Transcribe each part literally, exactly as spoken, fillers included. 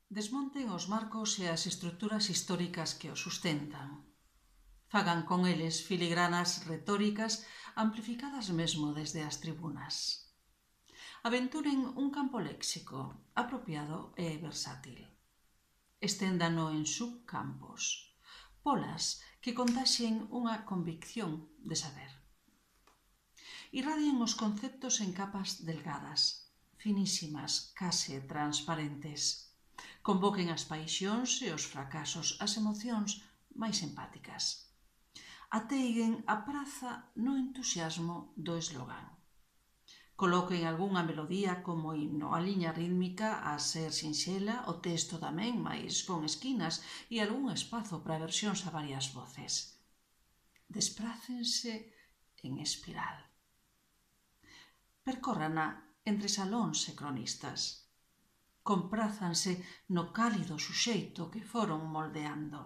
Desmonten os marcos e as estruturas históricas que os sustentan. Fagan con eles filigranas retóricas amplificadas mesmo desde as tribunas. Aventuren un campo léxico apropiado e versátil. Esténdano en subcampos, polas que contaxen unha convicción de saber. Irradien os conceptos en capas delgadas, finísimas, case transparentes. Convoquen as paixóns e os fracasos, as emocións máis empáticas. Ateiguen a praza no entusiasmo do eslogán. Coloquen algunha melodía como himno, a liña rítmica a ser sinxela, o texto tamén, mais con esquinas, e algún espazo para versións a varias voces. Desprácense en espiral. Percórrana entre salóns e cronistas. Comprázanse no cálido suxeito que foron moldeando.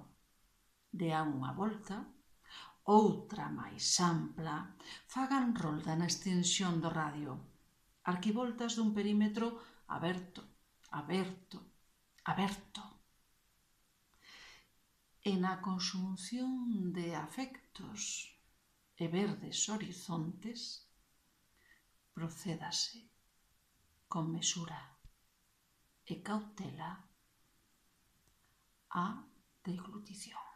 Dean unha volta, outra máis ampla, fagan rolda na extensión do radio, arquivoltas dun perímetro aberto, aberto, aberto. E na conxunción de afectos e verdes horizontes, procédase con mesura e cautela a deglutición.